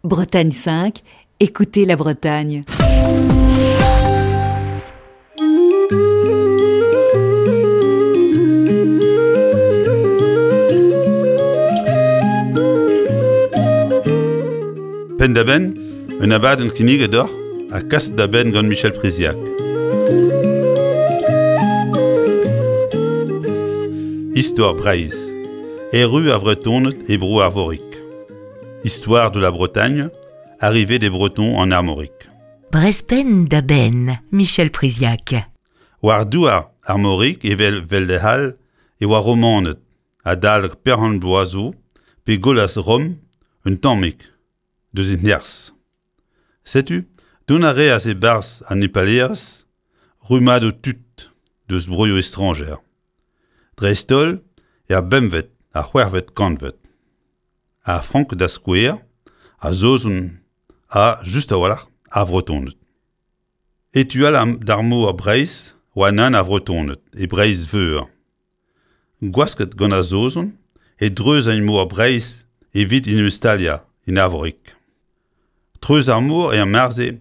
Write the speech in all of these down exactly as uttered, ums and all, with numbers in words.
Bretagne cinq, écoutez la Bretagne. Penn-da-benn, un abadenn kinniget deoc'h ha kaset da benn gant Michel Priziac. Istor Breizh. Erru ar Vretoned e bro Arvorig. Histoire de la Bretagne, arrivée des Bretons en Armorique. Brezh penn da benn, Michel Priziac. War douar Armorik evel 'vel lec'h all e oa Romaned, adalek pevar c'hant vloaz zo, pe gollas Rom un tammig deus e nerzh. Setu, dont a reas e-barzh an impalaerezh rummadoù tud deus broioù estrañjer. Dreist-holl er bempvet ha c'hwec'hvet kantved. Ar Franked da skouer, ar Saozon ha, just a-walc'h, ar Vretoned. E tu all d'ar mor Breizh oa nann ar Vretoned, e Breizh-Veur. Gwasket gant ar Saozon e dreuzent mor Breizh evit en em staliañ en Arvorig. Treuz ar mor er mare-se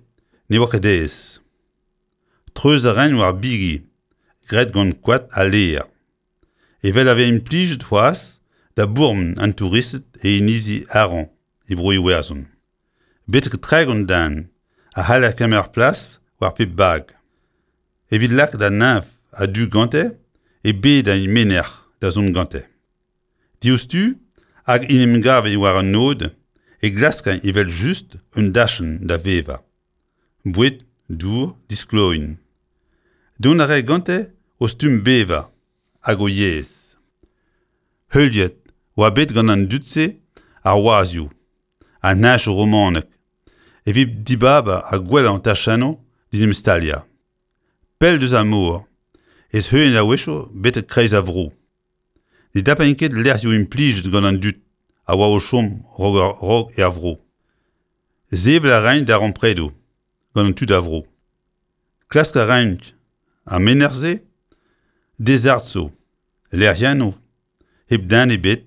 ne oa ket aes. Treuz a raent war bigi, graet gant koad ha lêr. Evel a vez implijet c'hoazh da bourmen an touristed e inizi Aran e Bro-Iwerzhon. Betek tregont den a c'haller kemer plas war pep bag. Evit lakaat an neñv a-du gante e bedent menec'h da zont gante. Diouzhtu hag en em gave war an aod e glaskent evel-just un dachenn da vevañ. Boued, dour, diskloin. Dont a rae gante o stumm bevañ hag o yezh. Heuliet oa bet gant an dud-se ar wazhioù, an henchoù romanek, evit dibabañ ar gwellañ tachennoù d'en em staliañ. Pell deus ar mor, ez heulient a-wechoù betek kreiz ar vro. Ne dapent ket lec'hioù implijet gant an dud a oa o chom raok er vro. Sevel a raent darempredoù gant an tud a vro. Klask a raent ar menec'h-se dezerzhoù, lec'hiennoù, hep den ebet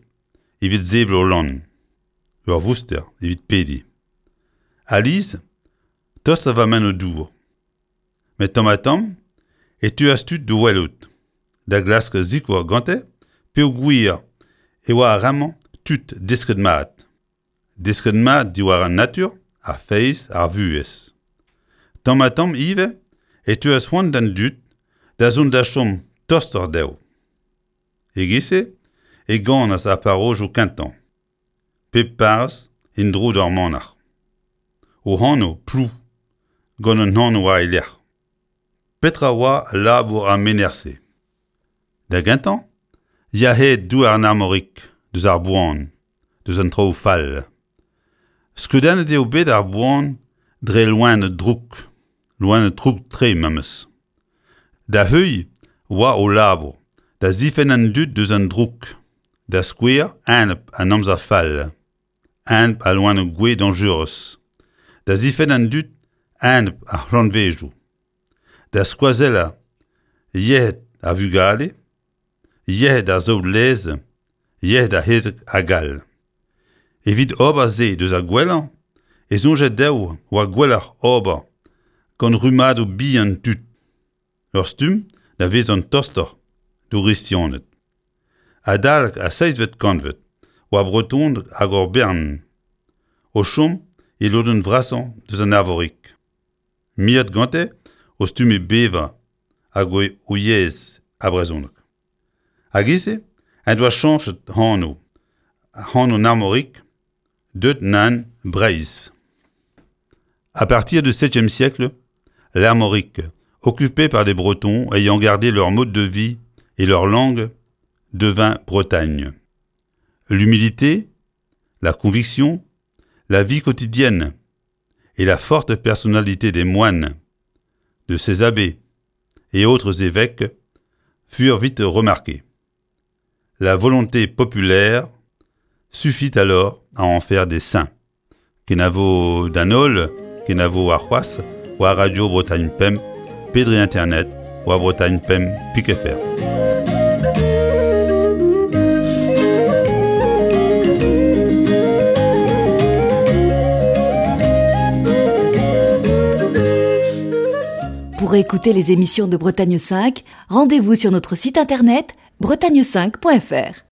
evit sevel o lann. Ur vouster evit pediñ. Alies, tost da vammennoù dour. Met tamm-ha-tamm e teuas tud d'o welout, da glask sikour gante peogwir e oa ar re-mañ tud desket-mat. Desket-mat diwar an natur, ar feiz, ar vuhez. Tamm-ha-tamm ivez e teuas c'hoant d'an dud da zont da chom tostoc'h dezho. E-giz-se e ganas ar parrozioù kentañ. Pep parrez en-dro d'ur manac'h. O anv Plou, gant un anv war e lerc'h. Petra oa labour ar menec'h-se? Da gentañ, yac'haet douar an Armorig deus ar boan, deus an traoù fall. Skeudennet eo bet ar boan dre loened drouk, loened drouk-tre memes. Da heuilh oa o labour, da zifenn an dud deus an drouk, da skouer enep an amzer fall, enep al loened gouez dañjerus, da zifenn an dud enep ar c'hleñvedoù, da skoazellañ yec'hed ar vugale, yec'hed ar saout-laezh, yec'hed ar c'hezeg hag all. Evit ober se deus ar gwellañ e soñje dezho oa gwelloc'h ober gant rummadoù bihan tud. Ur stumm da vezañ tostoc'h d'o gristianed. Adalek ar seizhvet kantved oa Bretoned hag ur bern o chom e lodenn vrasañ deus an Arvorig. Miret gante o stumm bevañ hag o yezh ar brezhoneg. Hag e-se en doa chañchet anv, anv an Armorig, deuet nann Breizh. À partir du septième siècle, l'Armorique, occupée par des Bretons ayant gardé leur mode de vie et leur langue, devint Bretagne. L'humilité, la conviction, la vie quotidienne et la forte personnalité des moines, de ses abbés et autres évêques furent vite remarquées. La volonté populaire suffit alors à en faire des saints. Kenavo d'an holl, kenavo arc'hoazh, war Radio Bretagne Pemp, pe dre internet, war Bretagne Pemp pik F R. Pour écouter les émissions de Bretagne cinq, rendez-vous sur notre site internet bretagne cinq point F R.